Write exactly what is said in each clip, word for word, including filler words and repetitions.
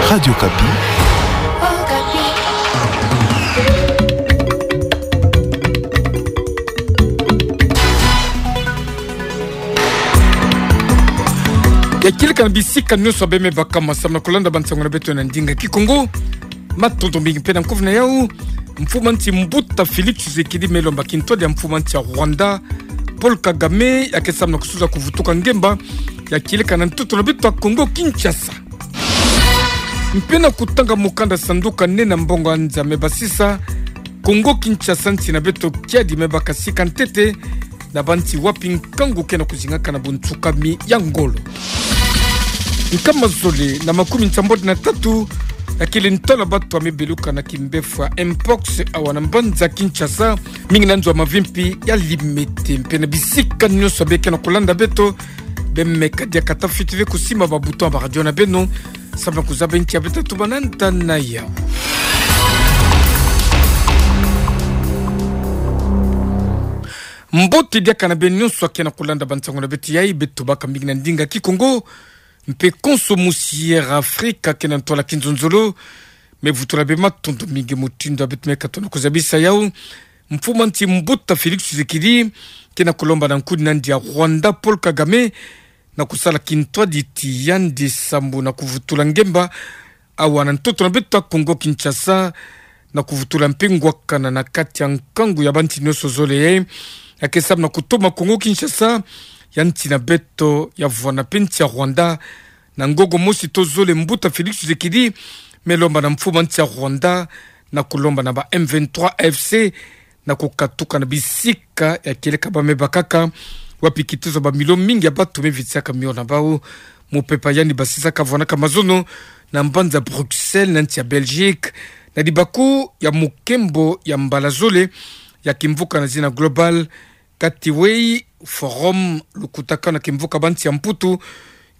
Radio Okapi. Ya kieleka na bisika nyonso beno me baka ma samu na kulanda bansango na beto na ndinga Kikongo. Matondo mingi mpe na nkufi na yau. Mfumu a nsi mbuta Félix Tshisekedi me lomba kintwadi ya mfumu a nsi ya Rwanda, Paul Kagame, ya ke samu na kusuza kuvutuka ngemba ya kieleka na ntoto na beto ya Kongo Kinshasa. Mpe na kutanga mukanda sanduka nene ya mbongo ya nza me basisa, Kongo Kinshasa, nsi na beto kiadi me baka sika ntete na bansi wapi nkangu ke na kuzingaka na bunsukami ya ngolo. Nkama zole na makumi nsambwadi na tatu ya kele ntwala batu ya me beluka na kimbefwa mpox awa na mbanza Kinshasa, mingi na nzo ya mavimpi ya Limete. Mpe na bisika nyonso beno ke na kulanda beto, beno me kadiaka ta fwiti ve kusimba ba bouton ya ba radio na beno, samu na kuzaba inki ya beta tubana nda na yau. Mbote diaka na beno nyonso ya ke na kulanda bansango na beto yai, beto baka mingi na ndinga Kikongo, mpe konso musi Air Afrique ke na ntwala kinzonzolo, me vutula beno matondo mingi mutindu ya beto me katuka na kuzabisa yau. Mfumu a nsi mbuta Félix Tshisekedi ke na kulomba na nkuni na yandi ya Rwanda Paul Kagame na kusala kintwadi ti yandi samu na kuvutula ngemba awa na ntoto na beto ya Kongo Kinshasa, na kuvutula mpe ngwakana na kati ya nkangu ya bansi nyonso zole ya ke samu na kutoma Kongo Kinshasa ya nsi na beto ya vwanda mpe nsi ya Rwanda. Na ngongo mosi to zole, mbuta Félix Tshisekedi me lomba na mfumu a nsi ya Rwanda na kulomba na ba M vingt-trois A F C na kukatuka na bisika ya kieleka ba me bakaka, wapi kiteso ba milio mingi ya batu me vitisaka mio na bau. Mupepa yandi basisaka vwanaka mazono na mbanza Bruxelles na nsi ya Belgique, na libaku ya mukembo ya mbala zole ya kimvuka na zina Global Gateway Forum, lukutakanu ya kimvuka bansi ya Mputu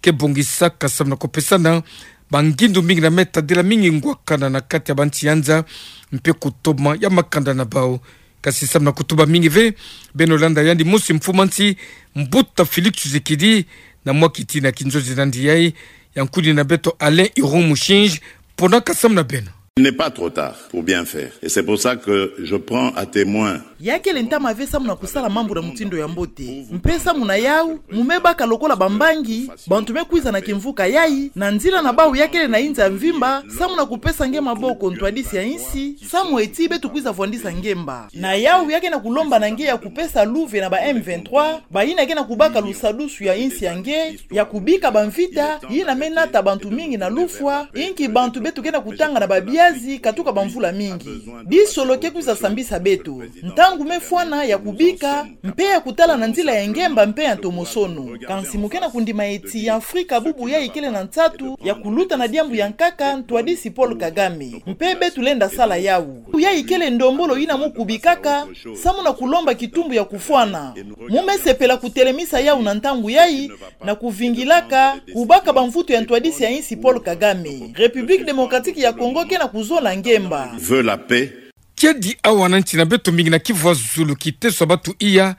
ke bongisaka samu na kupesana bangindu mingi na me tadila mingi ngwakana na kati ya bansi ya nza, mpe kutoma ya makanda na bau. Kasi samu na kutuba mingi ve, beno landa yandi mosi mfumu a nsi mbuta Félix Tshisekedi na mwa kitina kinzonzi na yandi yai. Ya nkuni na beto Alain Iron Mushinji, ponaka samu na beno. Il n'est pas trop tard pour bien faire. Et c'est pour ça que je prends à témoin. Ya kele ntama ve samu na kusala mambu na mutindu ya mbote. Mpe samu na yau, mu me baka lokola bambangi, bantu me kwiza na kimvuka yai, na nzila na bau ya kele na inza mvimba, samu na kupesa nge maboko ntwadisi ya insi, samu eti beto kwiza vwandisa ngemba. Na yau ya ke na kulomba na nge ya kupesa luve na ba M vingt-trois, bayina ke na kubaka lusadusu ya insi ya nge, ya kubika bamvita yina me nata bantu mingi na lufwa, inki bantu beto ke na kutanga na babiazi katuka bamvula mingi. Disolo ke kwiza sambisa beto. Ntangu me fwana ya kubika, mpe ya kutala na nzila ya ngemba mpe ya ntomosono. Kansi mu ke na kundima eti ya Afrika bubu yai kele na nsatu ya kuluta na diambu ya nkaka ntwadisi Paul Kagame. Mpe beto lenda sala yau. Yai kele ndombolo yina mu kubikaka, samu na kulomba kitumbu ya kufwana. Mu me sepela kutelemisa yau na ntangu yai, na kuvingilaka kubaka bamvutu ya ntwadisi ya insi Paul Kagame. République démocratique ya Congo ke na kuzola ngemba. Veut la paix. Kiadi awa na nsi na beto mingi na Kivu ya zulu kiteso ya batu iya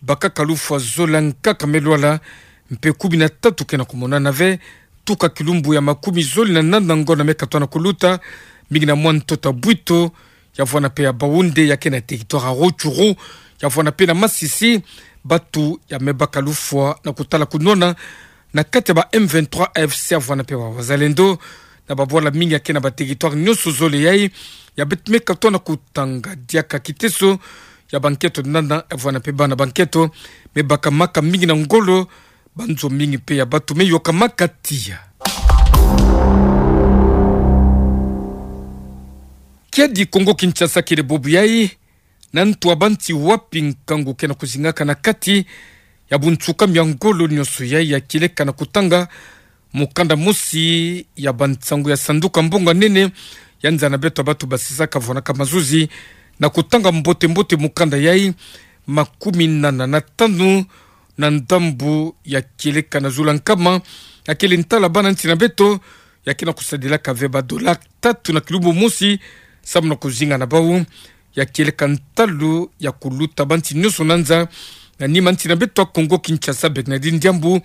bakaka lufwa zola nkaka me lwala, mpe kumi na tatu ke na kumonana ve, tuka kilumbu ya makumi zole na nana ngonda me katoa na kuluta, mingi na mwa ntoto ya Bwito, ya vwana mpe ya Baounde, ya ke na territoire ya Rutshuru, ya vwana mpe na Masisi, batu ya me baka lufwa na kutala kunwana na kati ya ba M vingt-trois A F C ya vwana mpe ba wazalendo, na babwala mingi ya ke na ba territoire nyonso zole yai, ya beto me katoa na kutanga diaka kiteso ya banketo nana, ya vwana mpe bana banketo me bakamaka mingi na ngolo, banzo mingi mpe ya batu me yokamaka tiya. Kiadi Kongo Kinshasa kele bobu yai, na ntu ya bansi wapi nkangu ke na kuzingaka na kati ya bunsukami ya ngolo nyonso yai, ya kieleka na kutanga mukanda mosi ya bansangu ya sanduka mbongo ya nene ya nza na beto ya batu basisaka vwanaka mazuzi, na kutanga mbote-mbote mukanda yai, makumi nana na tanu na ndambu ya kieleka na zula nkama ya kele ntala bana nsi na beto ya ke na kusadilaka ve ba dollar tatu na kilumbu mosi, samu na kuzinga na bau, ya kieleka ntalu ya kuluta bansi nyonso na nza, na nima nsi na beto ya Kongo Kinshasa, Bernardine Diambu,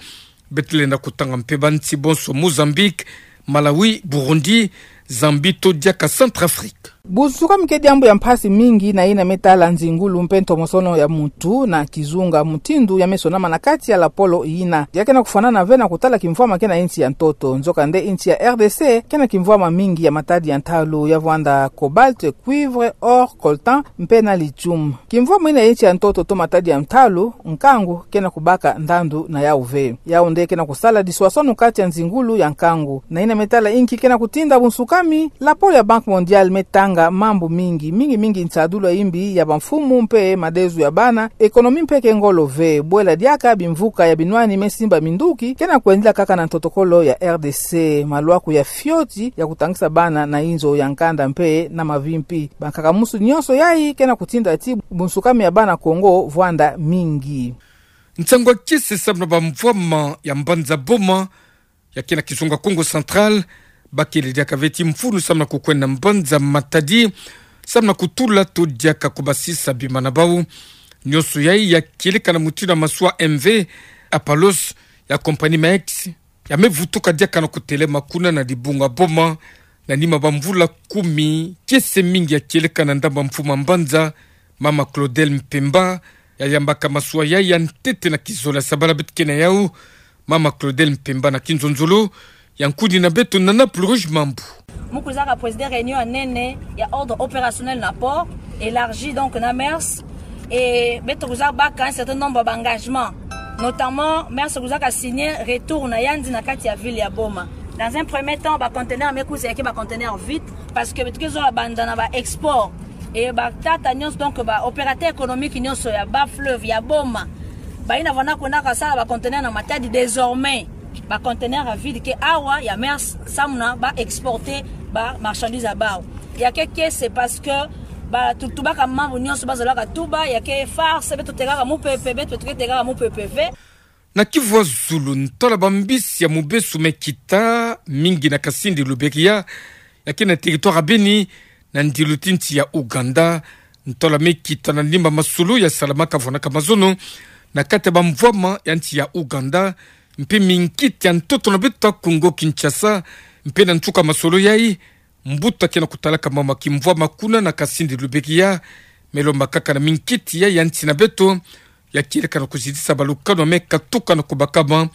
beto lenda kutanga mpe bansi bonso, Mozambique, Malawi, Burundi, Zambie to diaka Centrafrique. Bunsuka mi ke diambu ya mpasi mingi na yina me tala nzingulu mpe ntomosono ya mutu na kizunga mutindu ya me sonama na kati ya lapolo yina. Ya ke na kufwanana ve na kutala kimvwama ke na insi ya ntoto. Nzokande insi ya R D C ke na kimvwama mingi ya matadi ya ntalu ya vwanda cobalt, cuivre, or, coltan mpe na lithium. Kimvwama yina ya insi ya ntoto to matadi ya ntalu, nkangu ke na kubaka ndandu na yau ve. Yau nde ke na kusala diswaswanu kati ya nzingulu ya nkangu. Na yina me tala inki ke na kutinda bunsuka mi, lapolo ya Banque Mondiale me tanga mambu mingi, mingi mingi nsadulu ya imbi ya bamfumu mpe madezo ya bana, économie mpe ke ngolo ve, bwela diaka bimvuka ya binwani me simba minduki ke na kwendila kaka na ntotokolo ya R D C, maluaku ya fioti ya kutangisa bana na inzo ya nkanda mpe na mavimpi. Bankaka musu nyonso yai ke na kutinda ti bunsuka mi ya bana Kongo vwanda mingi. Nsangu ya kiese samu na bamvwama ya mbanza Boma, ya ke na kizunga Kongo Central, bakele diaka ve ti mfunu samu na kukwenda mbanza matadi, samu na kutula to diaka kubasisa bima na bau. Nyonso yai ya kieleka na mutindu ya masuwa M V Apalos ya compagnie Maersk, ya me vutuka diaka na kutelema kuna na dibunga Boma, na nima bamvula kumi. Kiese mingi ya kieleka na ndambu ya mfumu ya mbanza, Mama Claudel Mpemba, ya yambaka masuwa yai ya ntete na kizolele. Sabala beto ke na yau, Mama Claudel Mpemba na kinzonzolo, ya nkudina beto na Nana Pluruge Mambu. Mu kwiza ka présider réunion ya nene ya ordre opérationnel na port, élargi donc na Maersk, et beto kwiza baka un certain nombre d'engagements. Notamment, Maersk kwiza ka signer retour na yandi na kati ya ville ya Boma. Dans un premier temps, ba conteneurs me kwiza ya ke ba conteneurs vides, parce que beto ke zola banda na ba exports. Et batata nyonso, donc ba opérateurs économiques nyonso ya bas fleuve ya Boma, bayina vwanda kwenda kasala ba conteneurs na matadi, désormais ba conteneurs vides ke awa ya Maersk samu na ba exporter ba marchandises ya bau. Ya ke kiese, c'est parce que ba tu-, tubaka mambu nyonso bazolaka tuba, ya ke farce, beto tekaka mupepe, beto, beto ke tekaka mupepe ve. Na kivwa zulu, ntwala bambisi ya mubesu me kita mingi na Kasindi Luberiha, ya ke na territoire ya Beni, na ndilu ti nsi ya Ouganda. Ntwala me kita na nima masolo ya salamaka vwanaka mazono na kati ya bamvwama ya nsi ya Ouganda, mpe mingiti ya ntoto na beto ya Congo Kinshasa, mpe na nsuka masolo yai, mbuta ke na kutalaka mama kimvwama kuna na Kasindi Luberiha, me lomba kaka na mingiti yai ya nsi na beto, ya kieleka na kuzitisa balukanu ya me katuka na kubakama.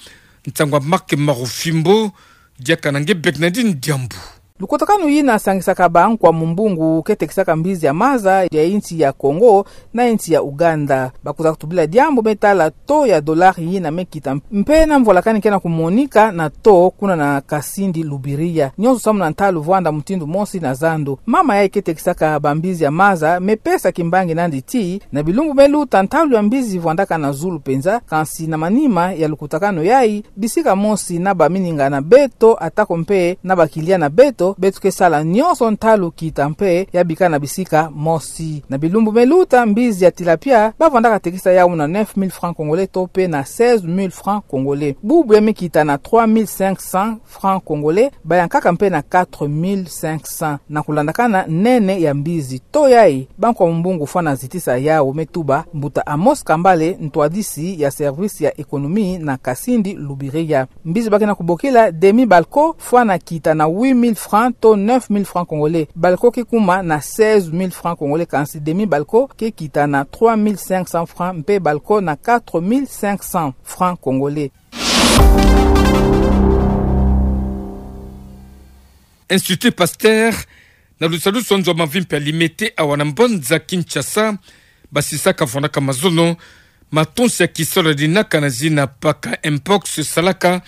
Nsangu ya Marc Marufimbo, diaka na nge Bernardine Diambu. Lukutakanu yina sangisaka ba nkwa mumbungu ke tekisaka mbizi ya maza ya insi ya Congo na insi ya Ouganda. Bakwiza kutubila diambu me tala taux ya dollar yina me kita, mpe na mvwalakani ke na kumonika na taux kuna na Kasindi Luberiha. Nyonso samu na ntalu vwanda mutindu mosi na zandu. Mama yai ke tekisaka bambizi ya maza me pesa kimbangi nandi ti, na bilumbu me luta ntalu ya mbizi vwandaka na zulu penza, kansi na manima ya lukutakanu yai, bisika mosi na bamininga na beto, atako mpe na bakilia na beto, beto ke sala nyonso ntalu kita mpe ya bika na bisika mosi. Na bilumbu me luta, mbizi ya tilapia bavwandaka tekisa yau na neuf mille francs congolais to mpe na seize mille francs congolais. Bubu ya me kita na trois mille cinq cents francs congolais, bayankaka mpe na quatre mille cinq cents. Na kulandakana nene ya mbizi, taux yai, ba nkwa mumbungu fwana zitisa yau, me tuba mbuta Amos Kambale, ntwadisi ya service ya économie na Kasindi Luberiha. Mbizi ba ke na kubokila demi balcon fwana kita na huit mille francs to neuf mille francs congolais. Balcon ke kuma na seize mille francs congolais, kansi demi balcon ke kita na trois mille cinq cents francs, mpe balcon na quatre mille cinq cents francs congolais. Institut Pasteur, na lusalusu ya nzo ya mavimpi ya Limete awa na mbanza Kinshasa, basisaka vwanaka mazono matonsi ya kisalu yadinaka na zina Paka Mpox, salaka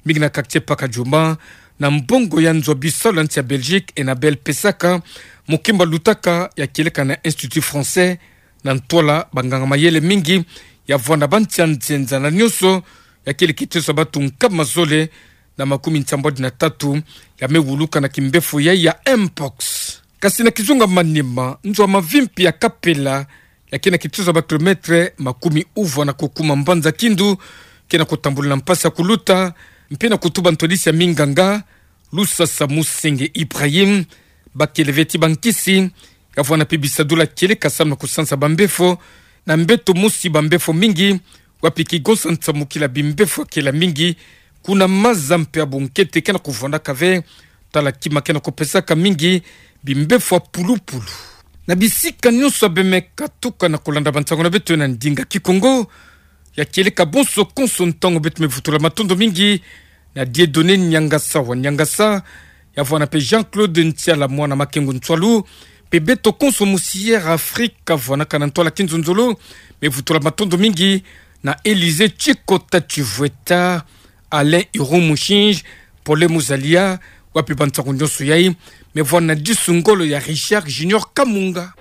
mingi na quartier Paka Djuma, na mbongo ya nzo ya bisalu ya nsi ya Belgique Enabel pesaka. Mukimba lutaka ya kieleka na Institut Français, na ntwala banganga mayele mingi ya vwanda ba nsi ya nzenza na nyonso, ya kele kiteso ya batu nkama zole na makumi nsambwadi na tatu ya me wuluka na kimbefo yai ya Mpox. Kasi na kizunga manima, nzo ya mavimpi ya Kapela, ya ke na kiteso ya ba kilomètre makumi uvwa na kukuma mbanza Kindu, ke na kutambula na mpasi ya kuluta, mpe na kutuba ntwadisi ya minganga, Lusasa Musenge Ibrahim, bakele ve ti bankisi ya vwanda mpe bisadulu ya kieleka samu na kusansa bambefo, na mbeto mosi bambefo mingi, wapi kigonsa nsamukila bimbefo ya kela mingi, Kuna maza mpe ya bunkete ke na kuvwanaka ve, tala kima ke na kupesaka mingi bimbefo ya pulupulu. Na bisika nyonso ya bemeka tuka na kulanda bansangu na beto na ndinga Kikongo, ya kieleka bonso konso ntangu beto me vutula matondo mingi na Dieudonné Niangasa wa Niangasa, ya vwanda mpe Jean-Claude Ntiala mwana Makengo Ntswalu, mpe beto konso mosiere Afrika vwanaka na ntwala kinzonzolo, me vutula matondo mingi na Élysée Tchikota Tchivweta, Alain Iroumushinge, Paulin Muzalia, wa mpe bansangu nyonso yayi, me vwanda na disu ngolo ya Richard Junior Kamunga.